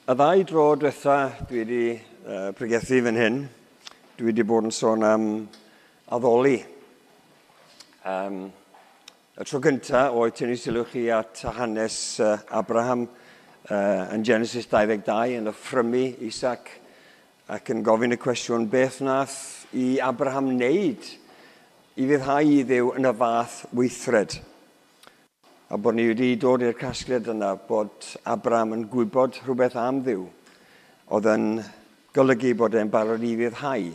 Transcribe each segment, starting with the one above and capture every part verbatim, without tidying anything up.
Y ddau dro diwetha dwi wedi uh, pregethu fan hyn, dwi wedi bod yn sôn am addoli. Um, y tro gyntaf oedd tynnu sylw chi at hanes uh, Abraham uh, yn Genesis dau ddeg dau yn offrymu Isaac ac yn gofyn y cwestiwn beth nath i Abraham wneud i fyddhau i Dduw yn y fath weithred. A bod ni wedi dod i'r casgliad yna bod Abraham yn gwybod rhywbeth am Dduw oedd yn golygu bod e'n barod i fyddhau,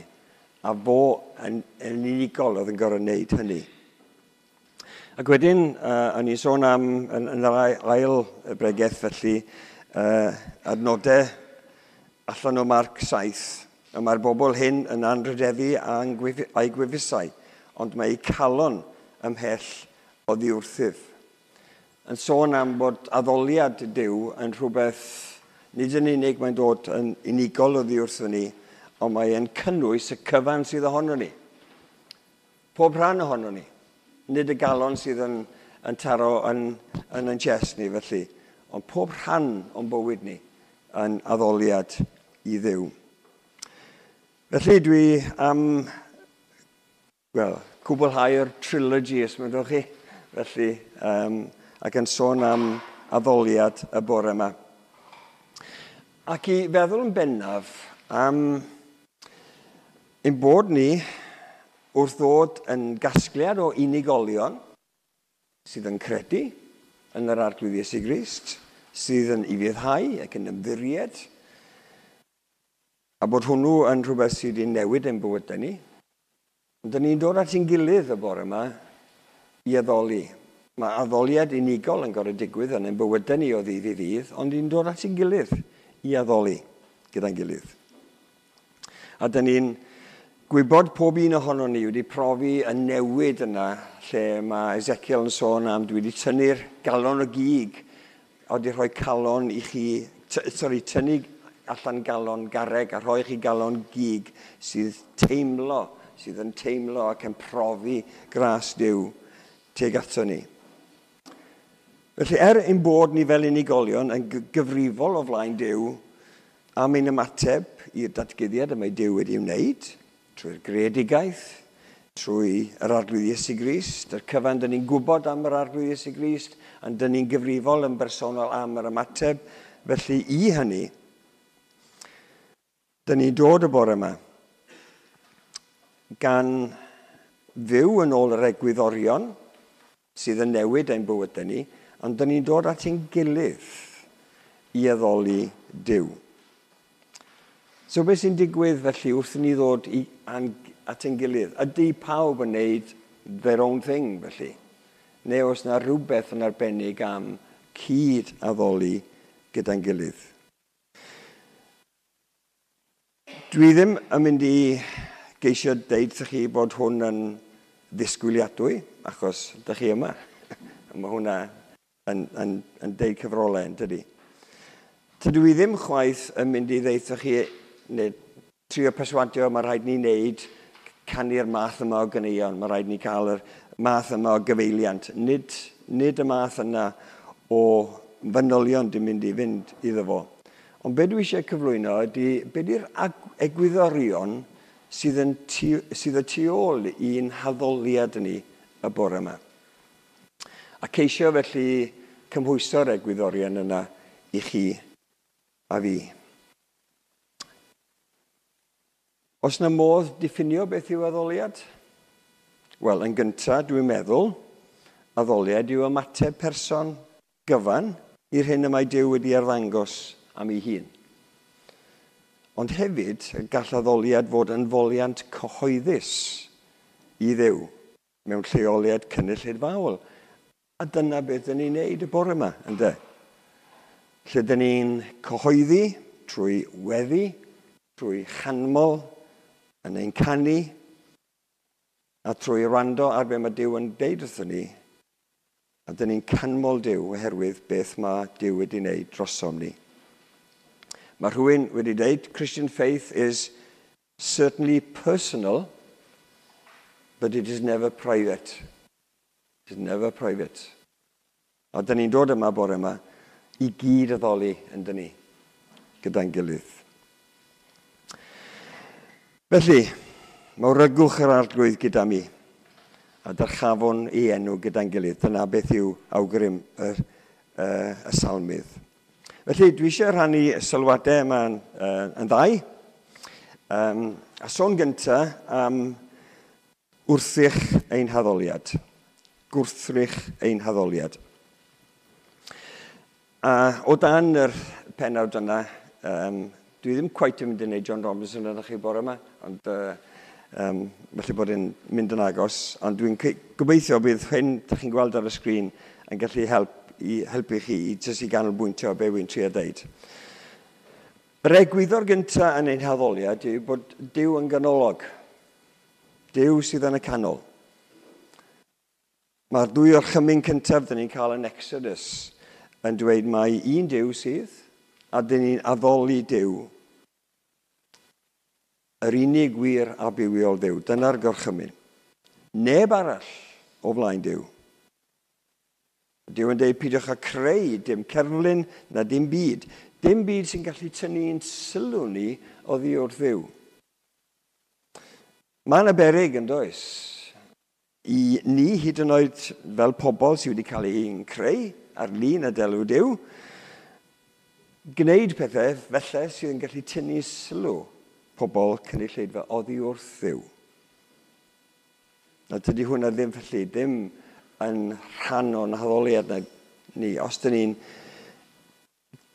a fo yn, yn unigol oedd yn gorfod wneud hynny. Ac wedyn, uh, o'n i'n sôn am, yn, yn yr ail bregeth felly, uh, adnodau allan o Marc saith, a mae'r bobl hyn yn anrhydeddu a'i gwefusau, ond mae eu calon ymhell oddi wrthyf. Yn sôn am bod addoliad Duw yn rhywbeth, nid yn unig mae'n dod yn unigol oddi wrthyn ni, ond mae'n cynnwys y cyfan sydd ohono ni. Pob rhan ohono ni. Nid y galon sydd yn, yn taro yn, yn yn chest ni felly, ond pob rhan o'n bywyd ni yn addoliad i Dduw. Felly dwi am, wel, cwblhau'r trilogy, os mynnwch chi, felly, um, ac yn sôn am addoliad y bore yma. Ac i feddwl yn bennaf am ein bod ni wrth ddod yn gasgliad o unigolion sydd yn credu yn yr Arglwydd Iesu Grist, sydd yn ufuddhau ac yn ymddiried, a bod hwnnw yn rhywbeth sydd wedi newid ein bywydau ni. Ond dyn ni'n dod at ein gilydd y bore yma i addoli. Mae addoliad unigol yn gorfod digwydd yn ein bywydau ni o ddydd i ddydd, ond ni'n dod at ein gilydd i addoli gyda'n gilydd. A dyn ni'n gwybod pob un ohonon ni wedi profi y newid yna lle mae Ezekiel yn sôn am dwi wedi tynnu'r galon o gig, a wedi rhoi calon i chi, sorry, tynnu allan galon garreg a rhoi chi galon gig sydd teimlo, sydd yn teimlo ac yn profi gras Duw tuag ato ni. Felly, er ein bod ni fel unigolion yn gyfrifol o flaen Duw am ein ymateb i'r datguddiad y mae Duw wedi wneud, trwy'r greadigaeth, trwy yr Arglwydd Iesu Grist, yr cyfan dyn ni'n gwybod am yr Arglwydd Iesu Grist, ond dyn ni'n gyfrifol yn bersonol am yr ymateb. Felly, i hynny, dyn ni'n dod y bore yma gan fyw yn ôl yr egwyddorion sydd yn newid ein bywydau ni, ond dyn ni'n dod at ein gilydd i addoli Duw. So beth sy'n digwydd felly wrth i ni ddod i, at ein gilydd? Ydy pawb yn neud their own thing felly? Neu oes na rhywbeth yn arbennig am cyd addoli gyda'n gilydd? Dwi ddim yn mynd i geisio deud wrthych chi bod hwn yn ddisgwyliadwy, achos dych chi yma. Mae hwnna yn, yn, yn deud cyfrolau, yn dydy. Tydw i ddim chwaith yn mynd i ddeud wrthych chi, neu trio perswadio, mae rhaid ni wneud canu'r math yma o ganeuon, mae rhaid ni cael yr math yma o gyfeiliant. Nid, nid y math yna o fanylion dwi'n mynd i fynd iddo fo. Ond be dwi eisiau cyflwyno ydy, be di'r egwyddorion sydd, yn tu, sydd y tu ôl i'n haddoliad ni y bore yma. A ceisio felly cymhwyso'r egwyddorion yna i chi a fi. Oes yna modd diffinio beth yw addoliad? Wel, yn gyntaf, dwi'n meddwl, addoliad yw ymateb person gyfan i'r hyn y mae Duw wedi arddangos am ei hun. Ond hefyd, gall addoliad fod yn foliant cyhoeddus i Dduw mewn lleoliad cynulleidfaol. A dyna beth dyn ni'n neud y bore yma, ynde? Lle dyn ni'n cyhoeddi trwy weddi, trwy chanmol, yn ein canu, a trwy wrando ar be mae Duw yn deud wrthon ni. A dyn ni'n canmol Duw oherwydd beth mae Duw wedi wneud drosom ni. Mae rhywun wedi deud, Christian faith is certainly personal, but it is never private. It is never private. A dyn ni'n dod yma bore yma i gyd addoli yn dyn ni. gyda'n gilydd. Felly, mawrygwch yr Arglwydd gyda mi, a dyrchafwn ei enw gyda'n gilydd. Dyna beth yw awgrym y, y, y salmydd. Felly, dwi eisiau rhannu sylwadau yma yn, uh, yn ddau. Um, a sôn gyntaf am wrthrych ein haddoliad. Gwrthrych ein haddoliad. A o dan yr pennawd yna, um, dwi ddim cweit yn mynd i wneud John Robinson yn chi bore yma, ond uh, um, felly bod e'n mynd yn agos. Ond dwi'n gobeithio bydd hyn, ydych chi'n gweld ar y sgrin, yn gallu help, i helpu chi i jyst i ganolbwyntio be wy'n trio deud. Yr egwyddor gyntaf yn ein haddoliad yw bod Duw yn ganolog. Duw sydd yn y canol. Mae'r dwy orchymyn cyntaf dyn ni'n cael yn Exodus yn dweud mai un Duw sydd, a dyn ni'n addoli Duw. Yr unig wir a bywiol Dduw. Dyna'r gorchymyn. Neb arall o flaen Duw. Duw yn dweud peidiwch â creu dim cerflun na dim byd. Dim byd sy'n gallu tynnu'n sylw ni oddi wrth Dduw. Mae yna beryg yn does. I ni hyd yn oed fel pobl sydd wedi cael ein creu ar lun a delw Duw, gwneud pethau felly sydd yn gallu tynnu sylw pobl cynulleidfa oddi wrth Dduw. Na tydi hwnna ddim felly, ddim yn rhan o'n haddoliad na ni. Os dyn ni'n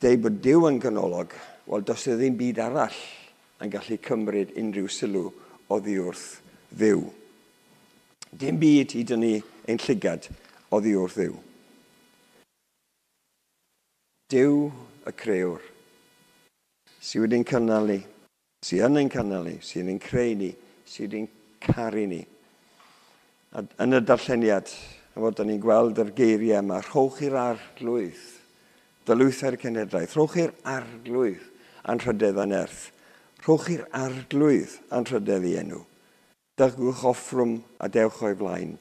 deud bod Duw yn ganolog, wel does e ddim byd arall yn gallu cymryd unrhyw sylw oddi wrth Dduw. Dim byd i dynnu ein llygad oddi wrth Dduw. Duw y crëwr, sydd wedi'n cynnal ni, sydd yn ein cynnal ni, sydd yn creu ni, sydd wedi'n caru ni. A yn y darlleniad, fod ni'n gweld yr geiriau yma, rhowch i'r Arglwydd, dylwythau'r cenhedlaeth, rhowch i'r Arglwydd anrhydedd a nerth, rhowch i'r Arglwydd anrhydedd i enw. Dygwch offrwm a dewch o'i flaen,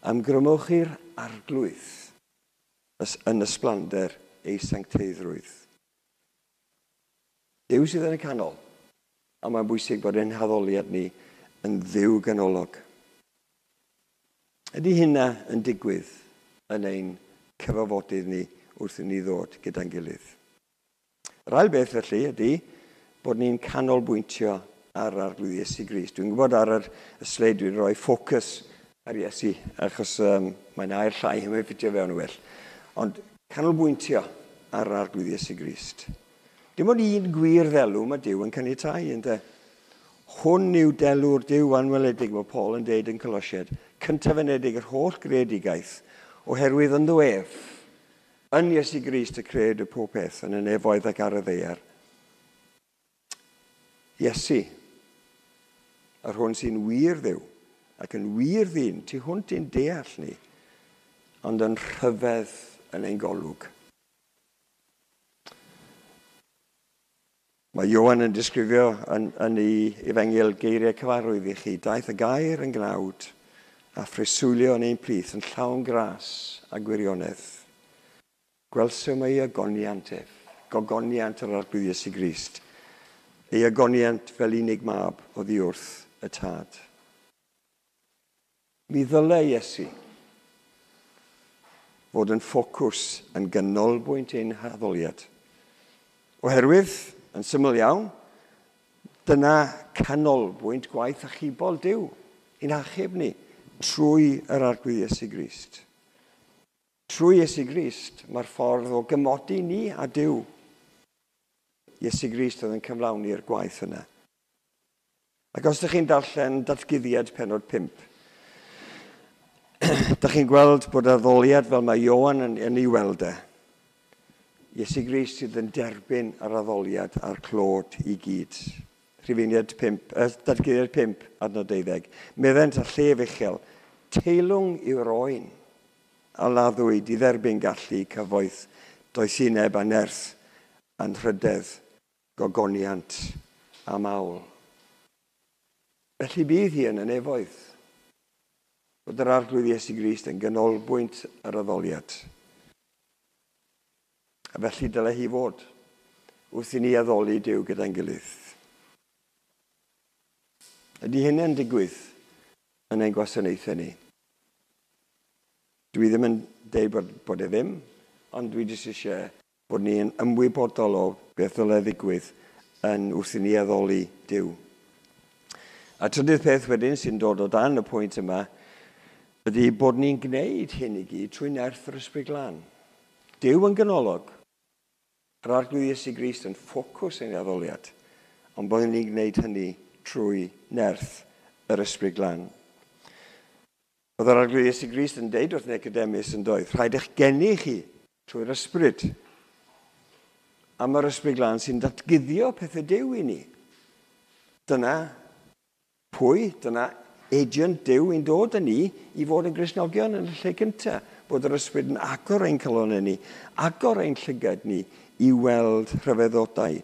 amgrymwch i'r Arglwydd yn ysblander ei sancteiddrwydd. Duw sydd yn y canol, a mae'n bwysig bod ein haddoliad ni yn Dduw ganolog. Ydy hynna yn digwydd yn ein cyfarfodydd ni wrth i ni ddod gyda'n gilydd? Yr ail beth felly ydy bod ni'n canolbwyntio ar Arglwydd Iesu Grist. Dwi'n gwybod ar yr, y sleid dwi'n rhoi ffocws ar Iesu, achos um, mae'n air llai, mae'n ffitio fewn yn well. Ond canolbwyntio ar Arglwydd Iesu Grist. Dim ond un gwir ddelw mae Duw yn caniatáu, ynde? Hwn yw delw'r Duw anweledig, mae Paul yn deud yn Colosiaid, cyntafenedig yr holl greadigaeth, oherwydd ynddo ef, yn Iesu Grist y crëwyd y pob peth yn y nefoedd ac ar y ddaear. Iesu, yr hwn sy'n wir Dduw ac yn wir ddyn, tu hwnt i'n deall ni, ond yn rhyfedd yn ein golwg. Mae Ioan yn disgrifio yn, yn ei efengyl geiriau cyfarwydd i chi. Daeth y gair yn gnawd a phreswylio yn ein plith yn llawn gras a gwirionedd. Gwelsom ei agoniant ef, gogoniant yr Arglwydd Iesu Grist, ei agoniant fel unig mab oddi wrth y Tad. Mi ddylai Iesu fod yn ffocws yn ganolbwynt ein haddoliad. Oherwydd, yn syml iawn, dyna canolbwynt gwaith achubol Duw i'n achub ni trwy yr Arglwydd Iesu Grist. Trwy Iesu Grist mae'r ffordd o gymodi ni a Duw. Iesu Grist oedd yn cyflawni'r gwaith yna. Ac os ydych chi'n darllen Datguddiad pennod pump, ydych chi'n gweld bod addoliad fel mae Ioan yn, yn ei weld e. Iesu Grist sydd yn derbyn yr addoliad a'r clod i gyd. Rhifeiniad pump, eh, Datguddiad pump, adnod deuddeg. Meddent a llef uchel, teilwng yw'r oen a laddwyd i dderbyn gallu cyfoeth, doethineb a nerth, anrhydedd, gogoniant a mawl. Felly bydd hi yn y nefoedd, bod yr Arglwydd Iesu Grist yn ganolbwynt yr addoliad. A felly dylai hi fod wrth i ni addoli Duw gyda'n gilydd? Ydy hynny'n digwydd yn ein gwasanaethau ni? Dwi ddim yn deud bod, bod e ddim, ond dwi jyst eisiau bod ni'n ymwybodol o beth ddylai ddigwydd yn wrth i ni addoli Duw. A trydydd peth wedyn sy'n dod o dan y pwynt yma ydy bod ni'n gwneud hyn i gyd trwy nerth yr Ysbryd Glân. Duw yn ganolog, yr Arglwydd Iesu Grist yn ffocws ein addoliad, ond bod ni'n gwneud hynny trwy nerth yr Ysbryd Glân. Oedd yr Arglwydd Iesu Grist yn deud wrth Nicodemus yn doedd, rhaid eich geni chi trwy'r Ysbryd. A mae'r Ysbryd Glân sy'n datguddio pethau Duw i ni. Dyna pwy, dyna agent Duw i'n dod â ni i fod yn Gristnogion yn y lle cyntaf. Bod yr Ysbryd yn agor ein calonnau ni, agor ein llygad ni i weld rhyfeddodau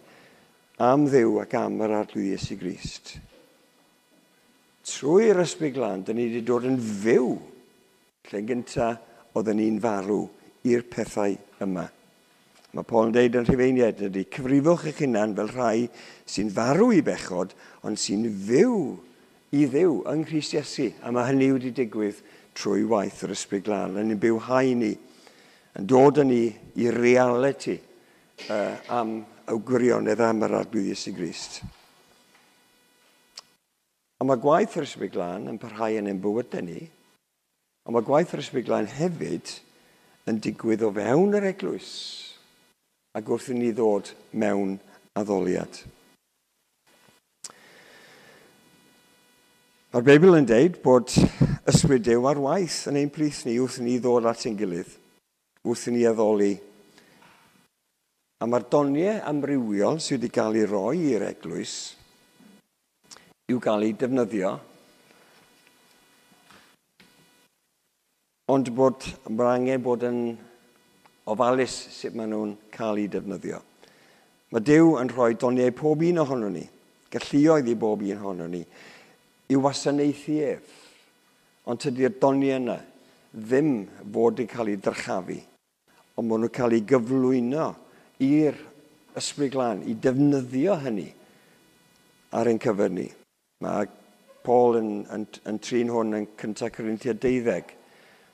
am Dduw ac am yr Arglwydd Iesu Grist. Trwy'r Ysbryd Glân, dyn ni wedi dod yn fyw. Lle gyntaf oedden ni'n farw i'r pethau yma. Mae Paul yn deud yn Rhufeiniaid ydy, cyfrifwch eich hunan fel rhai sy'n farw i bechod, ond sy'n fyw i Dduw yng Nghrist Iesu. A mae hynny wedi digwydd trwy waith yr Ysbryd Glân. Yn ein bywhau ni, yn dod â ni i realiti uh, am y gwirionedd am yr Arglwydd Iesu Grist. A mae gwaith yr Ysbryd Glân yn parhau yn ein bywydau ni, ond mae gwaith yr Ysbryd Glân hefyd yn digwydd o fewn yr eglwys ac wrth i ni ddod mewn addoliad. Mae'r Beibl yn deud bod Ysbryd Duw ar waith yn ein plith ni wrth i ni ddod at ein gilydd, wrth i ni addoli. A mae'r doniau amrywiol sydd wedi cael ei roi i'r eglwys i'w gael ei defnyddio, ond bod mae'r angen bod yn ofalus sut maen nhw'n cael ei defnyddio. Mae Duw yn rhoi doniau pob un ohono ni, galluoedd i bob un ohono ni, i wasanaethu ef. Ond tydi'r doniau yna ddim fod yn cael ei dyrchafu, ond maen nhw'n cael ei gyflwyno i'r Ysbryd Glân, i defnyddio hynny ar ein cyfer ni. Mae Paul yn, yn, yn trin hwn yn cyntaf Corinthiaid deuddeg.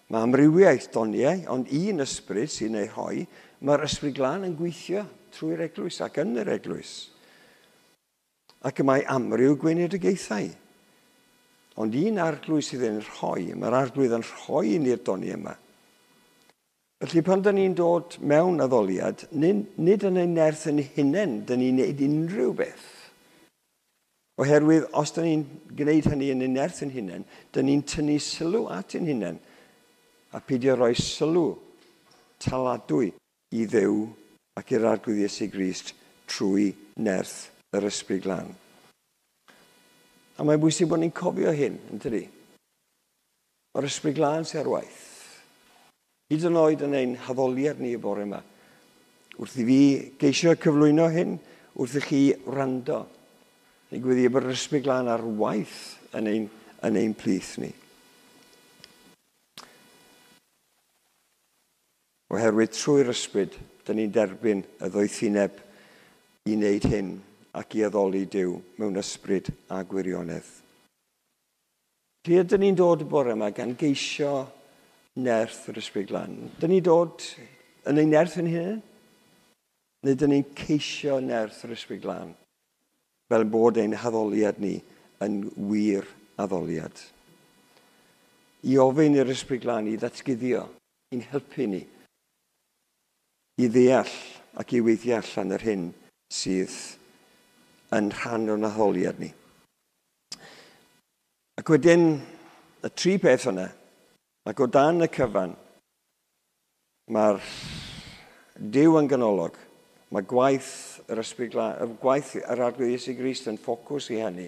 Mae amrywiaeth doniau, ond un ysbryd sy'n ei rhoi, mae'r Ysbryd Glân yn gweithio trwy'r eglwys ac yn yr eglwys. Ac y mae amryw gweinidogaethau. Ond un arglwydd sydd yn rhoi, mae'r arglwydd yn rhoi ni'r doniau yma. Felly pan dyn ni'n dod mewn addoliad, nid, nid yn ein nerth yn hunain, dyn ni'n neud unrhyw beth. Oherwydd, os dyn ni'n gwneud hynny yn ein nerth yn hunain, dyn ni'n tynnu sylw at ein hunain a peidio rhoi sylw taladwy i Dduw ac i'r Arglwydd Iesu Grist trwy nerth yr Ysbryd Glân. A mae'n bwysig bod ni'n cofio hyn, yn tydi? Mae'r Ysbryd Glân sy'n ar waith. Hyd yn oed yn ein haddoliad ni y bore yma. Wrth i fi geisio cyflwyno hyn, wrth i chi wrando, ni'n gweddio bod yr Ysbryd Glân ar waith yn ein, yn ein plith ni. Oherwydd trwy'r Ysbryd, dyn ni'n derbyn y ddoethineb i wneud hyn ac i addoli Duw mewn ysbryd a gwirionedd. Lle ydyn ni'n dod y bore yma gan geisio nerth yr Ysbryd Glân? Dyn ni'n dod yn ein nerth yn hunain? Neu dyn ni'n ceisio nerth yr Ysbryd Glân? Fel bod ein haddoliad ni yn wir addoliad. I ofyn i'r Ysbryd Glân i ddatguddio, i'n helpu ni, i ddeall ac i weithio allan yr hyn sydd yn rhan o'n addoliad ni. Ac wedyn, y tri peth yna, ac o dan y cyfan, mae'r Duw yn ganolog, mae gwaith yr Ysbryd Glân, gwaith yr Arglwydd Iesu Grist yn ffocws i hynny,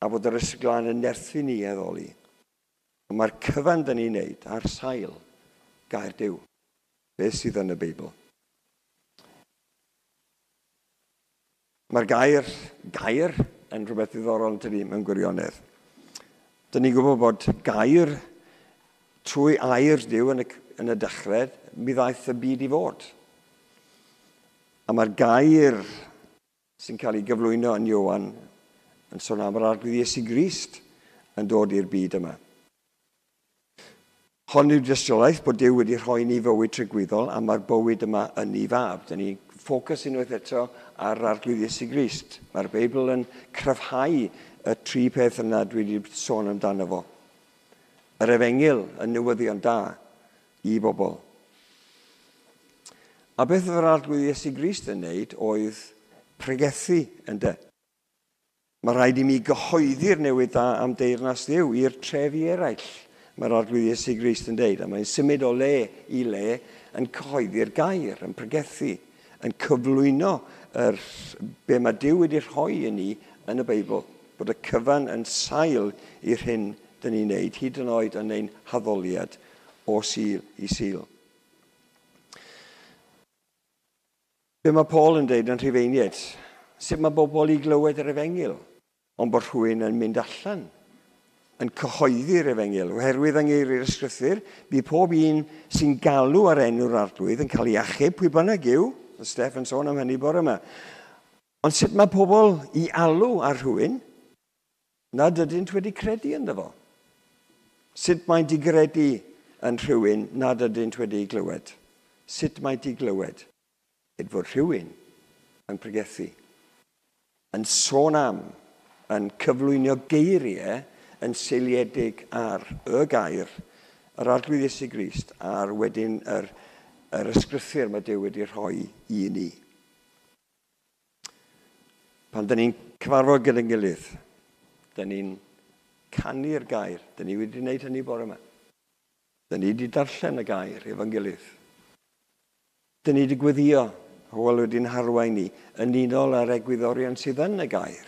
a bod yr Ysbryd Glân yn nerthu ni i addoli. Mae'r cyfan dyn ni'n neud ar sail gair Duw, beth sydd yn y Beibl. Mae'r gair, gair yn rhywbeth ddiddorol yn tydi mewn gwirionedd. Dyn ni'n gwybod bod gair trwy air Duw yn y, yn y dechrau, mi ddaeth y byd i fod. A mae'r gair sy'n cael ei gyflwyno yn Ioan yn sôn am yr Arglwydd Iesu Grist yn dod i'r byd yma. Hon yw'r dystiolaeth bod Duw wedi rhoi ni fywyd tragwyddol a mae'r bywyd yma yn ei fab. Dyna ni ffocws unwaith eto ar Arglwydd Iesu Grist. Mae'r Beibl yn cryfhau y tri peth yna dwi wedi sôn amdano fo. Yr efengyl yn newyddion da i bobl. A beth oedd yr Arglwydd Iesu Grist yn wneud oedd pregethu ynde. Mae rhaid i mi gyhoeddi'r newydd dda am deyrnas Dduw i'r trefi eraill. Mae'r Arglwydd Iesu Grist yn deud, a mae'n symud o le i le yn cyhoeddi'r gair, yn pregethu, yn cyflwyno yr, be mae Duw wedi rhoi i ni yn y Beibl, bod y cyfan yn sail i'r hyn dyn ni'n neud, hyd yn oed yn ein haddoliad o Sul i Sul. Be mae Paul yn deud yn Rhufeiniaid? Sut mae bobl i glywed yr efengyl, ond bod rhywun yn mynd allan yn cyhoeddi'r efengyl. Oherwydd yng ngeiriau'r ysgrythur, bydd pob un sy'n galw ar enw'r Arglwydd yn cael ei achub, pwy bynnag yw. Steff yn sôn am hynny bore yma. Ond sut mae pobl i alw ar rhywun nad ydynt wedi credu ynddo fo? Sut mae'n digredu yn rhywun nad ydynt wedi glywed? Sut mae'n diglywed? Yd fod rhywun yn pregethu, yn sôn am, yn cyflwyno geiriau yn seiliedig ar y gair, yr Arglwydd Iesu Grist, a'r wedyn yr, yr ysgrythur mae Duw wedi rhoi i ni. Pan dyn ni'n cyfarfod gyda'n gilydd, dyn ni'n canu'r gair. Dyn ni wedi gwneud hynny bore yma. Dyn ni wedi darllen y gair efo'n gilydd. Dyn ni wedi gweddio, Hywel wedi'n harwain ni, yn unol â'r egwyddorion sydd yn y gair.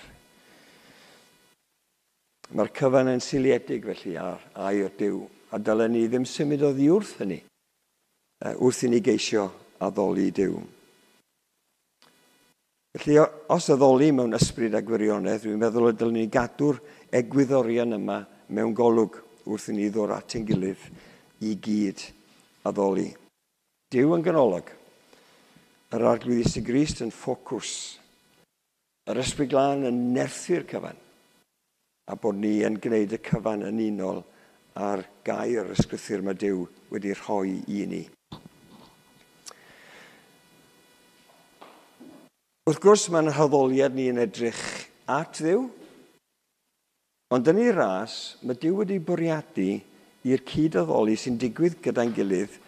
Mae'r cyfan yn seiliedig felly ar air Duw, a dylen ni ddim symud oddi wrth hynny, wrth i ni geisio addoli Duw. Felly, os addoli mewn ysbryd a gwirionedd, dwi'n meddwl y dylen ni gadw'r egwyddorion yma mewn golwg wrth i ni ddod at ein gilydd i gyd addoli. Duw yn ganolog, yr Arglwydd Iesu Grist yn ffocws, yr Ysbryd Glân yn nerthu'r cyfan, a bod ni yn gwneud y cyfan yn unol â'r gair ysgrythur mae Duw wedi rhoi i ni. Wrth gwrs, mae'n haddoliad ni yn edrych at Dduw, ond yn ei ras, mae Duw wedi bwriadu i'r cyd-addoli sy'n digwydd gyda'n gilydd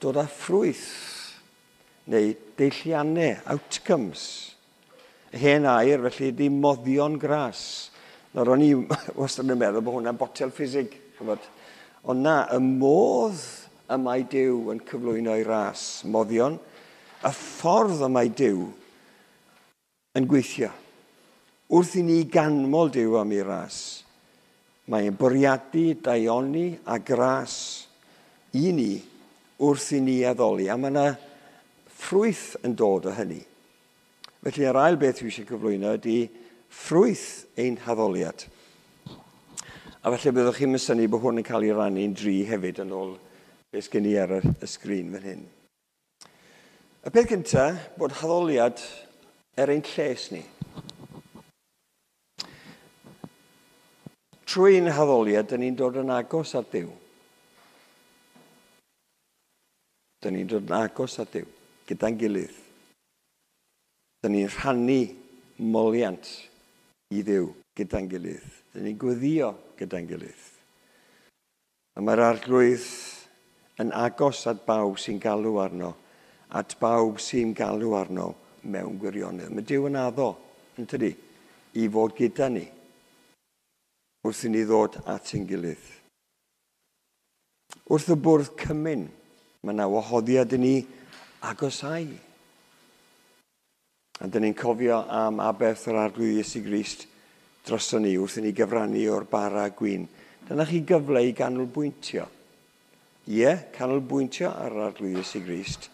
dod â ffrwyth neu deilliannau, outcomes. Hen air, felly, ydy moddion gras. Nawr, o'n i wastad yn meddwl bod hwnna'n botel ffisig. Ond na, y modd y mae Duw yn cyflwyno ei ras, moddion, y ffordd y mae Duw yn gweithio. Wrth i ni ganmol Duw am ei ras, mae'n bwriadu daioni a gras i ni wrth i ni addoli. A mae yna ffrwyth yn dod o hynny. Felly, yr ail beth dwi eisiau cyflwyno ydy ffrwyth ein haddoliad. A felly byddwch chi'n synnu bod hwn yn cael ei rannu'n dri hefyd yn ôl beth sgen i ar y sgrin fan hyn. Y peth cyntaf, bod haddoliad er ein lles ni. Trwy ein haddoliad, dyn ni'n dod yn agos at Dduw. Dyn ni'n dod yn agos at Dduw, gyda'n gilydd. Dyn ni'n rhannu moliant i Dduw gyda'n gilydd. Dyn ni'n gweddio gyda'n gilydd. A mae'r Arglwydd yn agos at bawb sy'n galw arno, at bawb sy'n galw arno mewn gwirionedd. Mae Duw yn addo, yn tydi, i fod gyda ni wrth i ni ddod at ein gilydd. Wrth y bwrdd cymun, mae yna wahoddiad i ni agosau. A dyn ni'n cofio am aberth yr Arglwydd Iesu Grist droson ni wrth i ni gyfrannu o'r bara gwin. Dyna chi gyfle i ganolbwyntio. Ie, canolbwyntio ar yr Arglwydd Iesu Grist,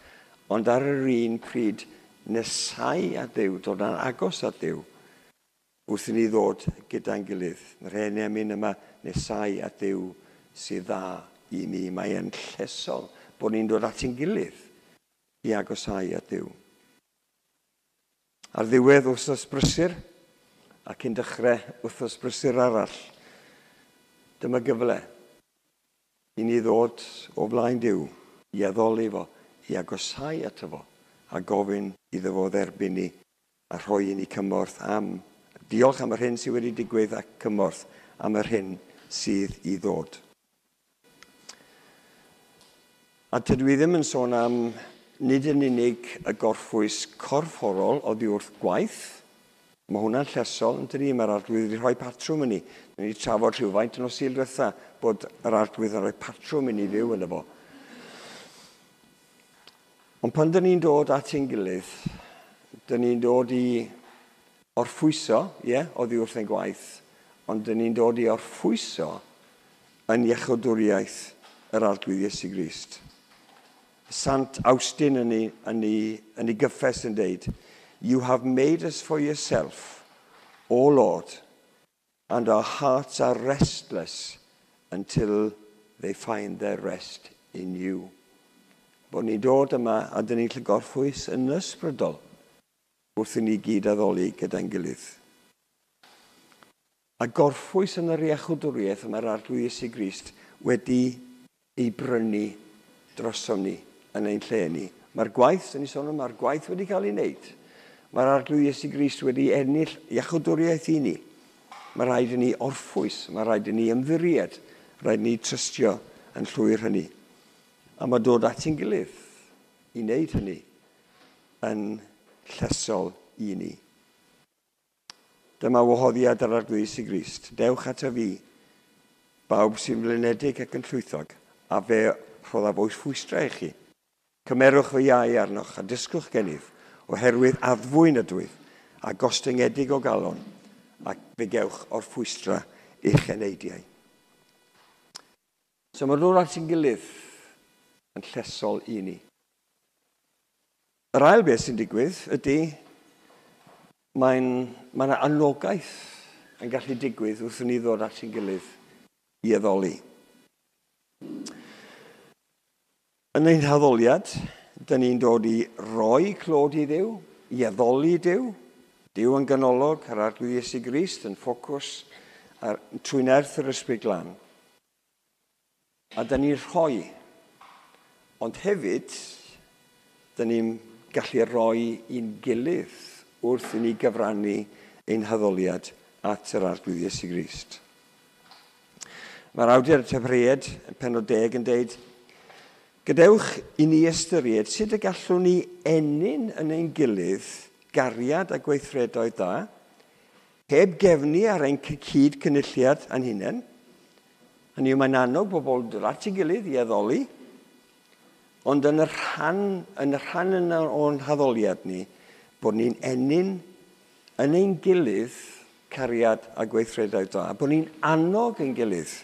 ond ar yr un pryd nesau at Dduw, dod yn agos at Dduw, wrth i ni ddod gyda'n gilydd. Mae'r hen emyn yma, nesau at Dduw sydd dda i mi. Mae'n llesol bod ni'n dod at ein gilydd i agosau at Dduw. Ar ddiwedd wythnos brysur ac yn dechrau wythnos brysur arall, dyma gyfle i ni ddod o flaen Duw, i addoli fo, i agosáu ato fo, a gofyn iddo fo dderbyn ni a rhoi i ni cymorth am, diolch am yr hyn sydd wedi digwydd ac cymorth am yr hyn sydd i ddod. A tydw i ddim yn sôn am nid yn unig y gorffwys corfforol oddi wrth gwaith. Mae hwnna'n llesol, yn dydi? Mae'r Arglwydd wedi rhoi patrwm i ni. Ni wedi trafod rhywfaint yn nos Sul diwetha bod yr Arglwydd yn rhoi patrwm i ni fyw yno fo. Ond pan dyn ni'n dod at ein gilydd, dyn ni'n dod i orffwyso, ie, yeah, oddi wrth ein gwaith, ond dyn ni'n dod i orffwyso yn iechydwriaeth yr Arglwydd Iesu Grist. Sant Awstin yn ei, yn ei, yn ei gyffes yn deud, "You have made us for yourself, O Lord, and our hearts are restless until they find their rest in you." Bod ni'n dod yma a dyn ni'n lle gorffwys yn ysbrydol wrth i ni gyd addoli gyda'n gilydd. A gorffwys yn yr iachwdwriaeth mae'r Arglwydd Iesu Grist wedi ei brynu drosom ni yn ein lle ni. Mae'r gwaith, dyn ni sôn am, mae'r gwaith wedi cael ei wneud. Mae'r Arglwydd Iesu Grist wedi ennill iachwdwriaeth i ni. Mae rhaid i ni orffwys, mae rhaid i ni ymddiried, rhaid i ni trystio yn llwyr hynny. A mae dod at ein gilydd i wneud hynny yn llesol i ni. Dyma wahoddiad yr Arglwydd Iesu Grist. Dewch ato fi, bawb sy'n flinedig ac yn llwythog, a fe rhoddaf orffwystra i chi. Cymerwch fy iau arnoch a dysgwch gennyf, oherwydd addfwyn ydwyf a gostyngedig o galon, ac fe gewch orffwystra i'ch eneidiau. So mae dod at ein gilydd yn llesol i ni. Yr ail beth sy'n digwydd ydy mae'n mae yna anogaeth yn gallu digwydd wrth i ni ddod at ein gilydd i addoli. Yn ein haddoliad, dyn ni'n dod i roi clod i Dduw, i addoli Duw, Duw yn ganolog, yr Arglwydd Iesu Grist yn ffocws ar, trwy nerth yr Ysbryd Glân. A dyn ni'n rhoi, ond hefyd, dyn ni'n gallu rhoi i'n gilydd wrth i ni gyfrannu ein haddoliad at yr Arglwydd Iesu Grist. Mae'r awdur y Hebreaid, yn pennod deg, yn deud, gadewch i ni ystyried sut y gallwn ni ennyn yn ein gilydd gariad a gweithredoedd da, heb gefnu ar ein cyd cynulliad a'n hunain. Hynny yw, mae'n annog bobl dod at ei gilydd i addoli, ond yn y rhan, yn y rhan yna o'n haddoliad ni, bod ni'n ennyn yn ein gilydd cariad a gweithredoedd da, bod ni'n annog ein gilydd.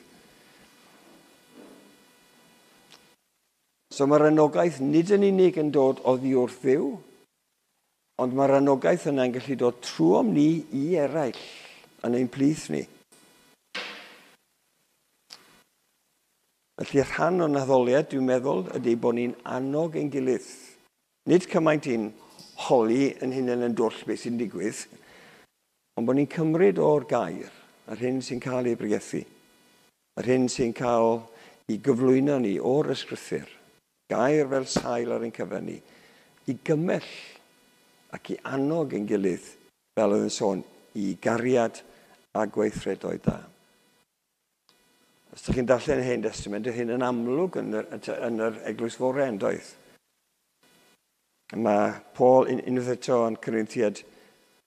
So mae'r anogaeth nid yn unig yn dod oddi wrth Dduw, ond mae'r anogaeth yna'n gallu dod trwom ni i eraill yn ein plith ni. Felly rhan o'n addoliad, dwi'n meddwl, ydy bod ni'n annog ein gilydd. Nid cymaint i'n holi yn hunain yn dwll beth sy'n digwydd, ond bod ni'n cymryd o'r gair, yr hyn sy'n cael ei bregethu, yr hyn sy'n cael ei gyflwyno ni o'r ysgrythur, gair fel sail ar ein cyfer ni, i gymell ac i annog ein gilydd, fel oedd yn sôn, i gariad a gweithredoedd da. Os ydych chi'n darllen y Hen Testament, yw hyn yn amlwg yn yr, yn yr Eglwys Fore, yn doedd? Mae Paul unwaith eto yn Corinthiaid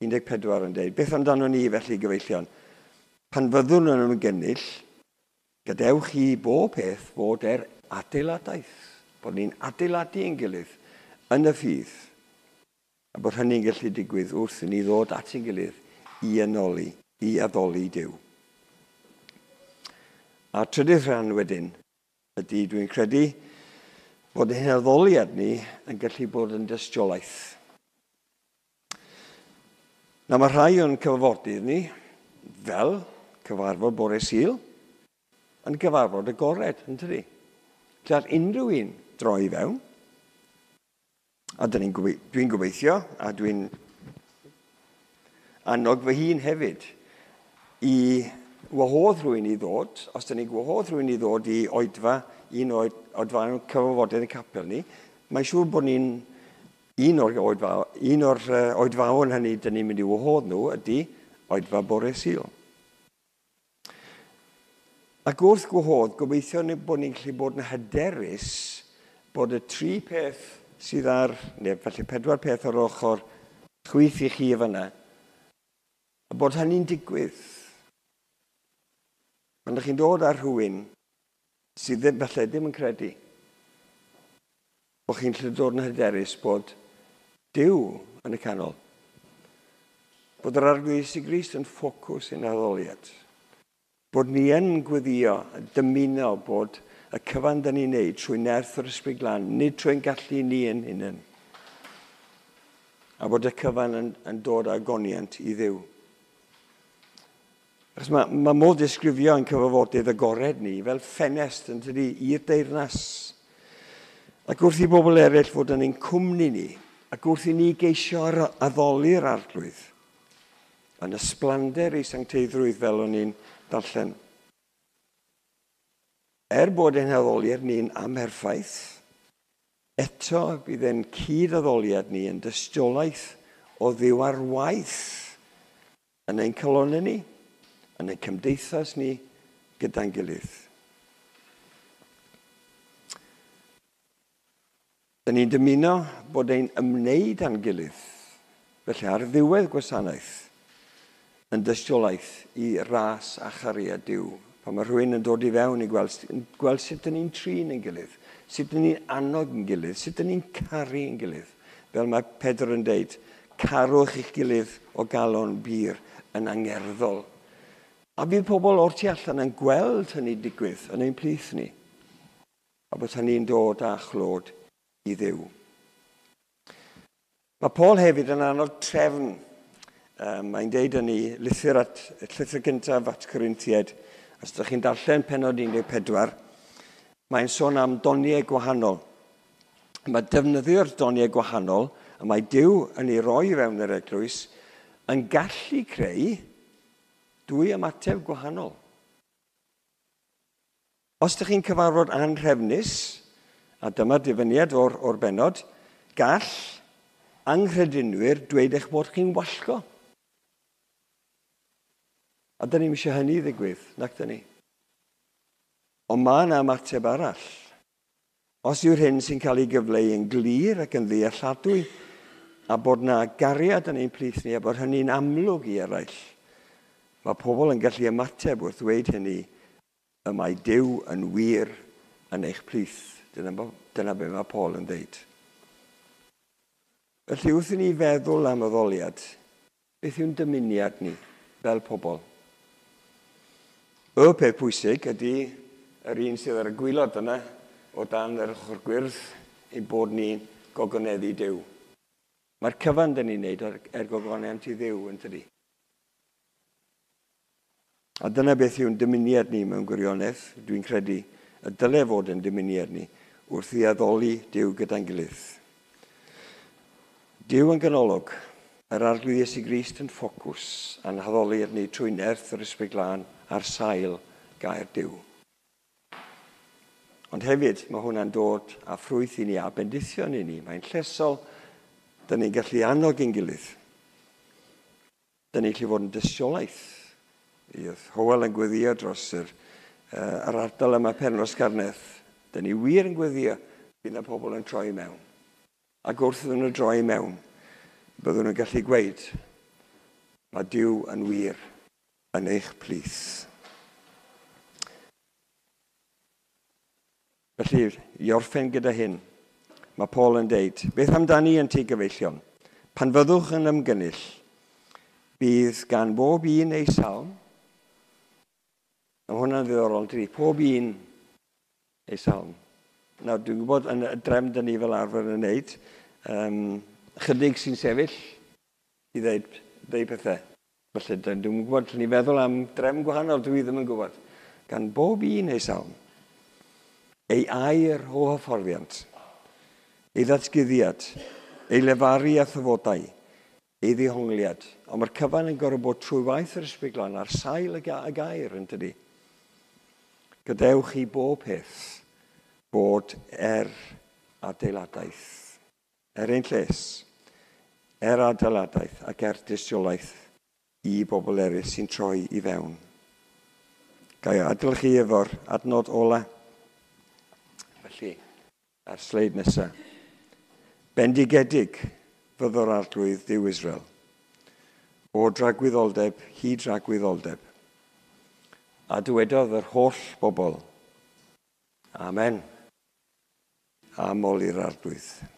un deg pedwar yn dweud, beth amdano ni felly, gyfeillion? Pan fyddwn yn ymgynnull, gadewch i bob peth fod er adeiladaeth, bod ni'n adeiladu ein gilydd yn y ffydd, a bod hynny'n gallu digwydd wrth i ni ddod at ein gilydd i anoli, i addoli Duw. A trydydd rhan wedyn ydy, dwi'n credu, bod ein addoliad ni yn gallu bod yn dystiolaeth. Na, mae rhai o'n cyfarfodydd ni, fel cyfarfod bore Sul, yn gyfarfod agored, yn tydi? Lle all unrhyw un droi i fewn. A dyn ni'n gobe- dwi'n gobeithio, a dwi'n annog fy hun hefyd i wahodd rhywun i ddod, os dyn ni'n gwahodd rhywun i ddod i oedfa, un oed, oedfa cyfarfodydd y capel ni, mae'n siŵr bod ni'n un o'r, oedfa, un o'r oedfaon hynny dyn ni'n mynd i wahodd nhw ydy oedfa bore Sul. Ac wrth gwahodd, gobeithio bod ni'n gallu bod yn hyderus bod y tri peth sydd ar, neu falle pedwar peth ar ochr chwith i chi fyna, a bod hynny'n digwydd. Pan ydych chi'n dod ar rhywun sydd ddim, falle ddim yn credu, bod chi'n gallu dod yn hyderus bod Duw yn y canol. Bod yr Arglwydd Iesu Grist yn ffocws ein addoliad. Bod ni yn gweddio, dymuno bod y cyfan dyn ni'n neud trwy nerth yr Ysbryd Glân, nid trwy'n gallu ni yn hunain. A bod y cyfan yn, yn dod â goniant i Dduw. Achos mae, mae modd disgrifio yn cyfarfodydd agored ni fel ffenest yn tydi i'r deyrnas. Ac wrth i bobl eraill fod yn ein cwmni ni, ac wrth i ni geisio addoli'r Arglwydd, yn ysblander ei sancteiddrwydd fel o'n i'n darllen. Er bod ein haddoliad ni'n amherffaith, eto bydd ein cyd-addoliad ni yn dystiolaeth o Dduw ar waith yn ein calonnau ni, yn ein cymdeithas ni gyda'n gilydd. Dyn ni'n dymuno bod ein ymwneud â'n gilydd, felly ar ddiwedd gwasanaeth, yn dystiolaeth i ras a chariad Duw. Pan mae rhywun yn dod i fewn i gweld, gweld sut dyn ni'n trin ein gilydd, sut dyn ni'n annog ein gilydd, sut dyn ni'n caru ein gilydd. Fel mae Pedr yn deud, carwch eich gilydd o galon bur yn angerddol. A bydd pobl o'r tu allan yn gweld hynny digwydd yn ein plith ni. A bod hynny'n dod â chlod i Dduw. Mae Paul hefyd yn annog trefn. Um, mae'n deud yn ei lythyr, at, llythyr gyntaf at Corinthiaid. Os ydych chi'n darllen pennod un deg pedwar, mae'n sôn am doniau gwahanol. Mae defnyddio'r doniau gwahanol, a mae Duw yn ei roi fewn yr eglwys, yn gallu creu dwy ymateb gwahanol. Os ydych chi'n cyfarfod anhrefnus, a dyma'r dyfyniad o'r, o'r bennod, gall anghredinwyr dweud eich bod chi'n wallgo. A dyn ni'm eisiau hynny ddigwydd, nac dyn ni. Ond mae yna ymateb arall. Os yw'r hyn sy'n cael ei gyfleu yn glir ac yn ddealladwy, a bod yna gariad yn ein plith ni, a bod hynny'n amlwg i eraill, mae pobl yn gallu ymateb wrth ddweud hynny, y mae Duw yn wir yn eich plith. Dyna, dyna be mae Paul yn dweud. Felly wrth i ni feddwl am addoliad, beth yw'n dymuniad ni fel pobl? Y peth pwysig ydy yr un sydd ar y gwaelod yna o dan yr ochr gwyrdd ein bod ni'n gogoneddu Duw. Mae'r cyfan dyn ni'n neud er gogoniant i Dduw yn tydi. A dyna beth yw'n dymuniad ni mewn gwirionedd, dwi'n credu, y dyle fod yn dymuniad ni wrth i addoli Duw gyda'n gilydd. Duw yn ganolog, yr Arglwydd Iesu Grist yn ffocws, a'n haddoliad ni trwy nerth yr Ysbryd Glân ar sail gair Duw. Ond hefyd, mae hwnna'n dod â ffrwyth i ni a bendithion i ni. Mae'n llesol, dyn ni'n gallu annog ein gilydd. Dyn ni'n gallu fod yn dystiolaeth. Oedd Hywel yn gweddio dros yr, uh, yr ardal yma Penrhos Carnedd. Dyn ni wir yn gweddio, bydd yna pobl yn troi mewn. Ac wrth iddyn nhw droi mewn, byddwn nhw'n gallu gweud, mae Duw yn wir yn eich plith. Felly, i orffen gyda hyn, mae Paul yn deud, beth amdani yn ti gyfeillion? Pan fyddwch yn ymgynnull, bydd gan bob un ei salm. Mae hwnna'n ddiddorol, dydi? Pob un ei salm. Nawr, dwi'n gwybod yn y drefn dyn ni fel arfer yn wneud, um, chydig sy'n sefyll i ddeud, ddeud pethau. Felly, dwi'n gwybod, ni feddwl am drefn gwahanol, dwi ddim yn gwybod. Gan bob un ei salm, ei air o hyfforddiant, ei ddatguddiad, ei lefaru a thyfodau, Ei ddihongliad. Ond mae'r cyfan yn gorfod bod trwy waith yr Ysbryd Glân ar sail y, ga y gair, yn dydi. Gadewch i bob peth bod er adeiladaeth, er ein lles, er adeiladaeth ac er dystiolaeth i bobl eraill sy'n troi i fewn. Ga i adael chi efo'r adnod ola. Felly, ar sleid nesaf. Bendigedig fyddo'r Arglwydd Dduw Israel, o dragwyddoldeb hyd dragwyddoldeb. A dywedodd yr holl bobl, Amen. A moli'r Arglwydd.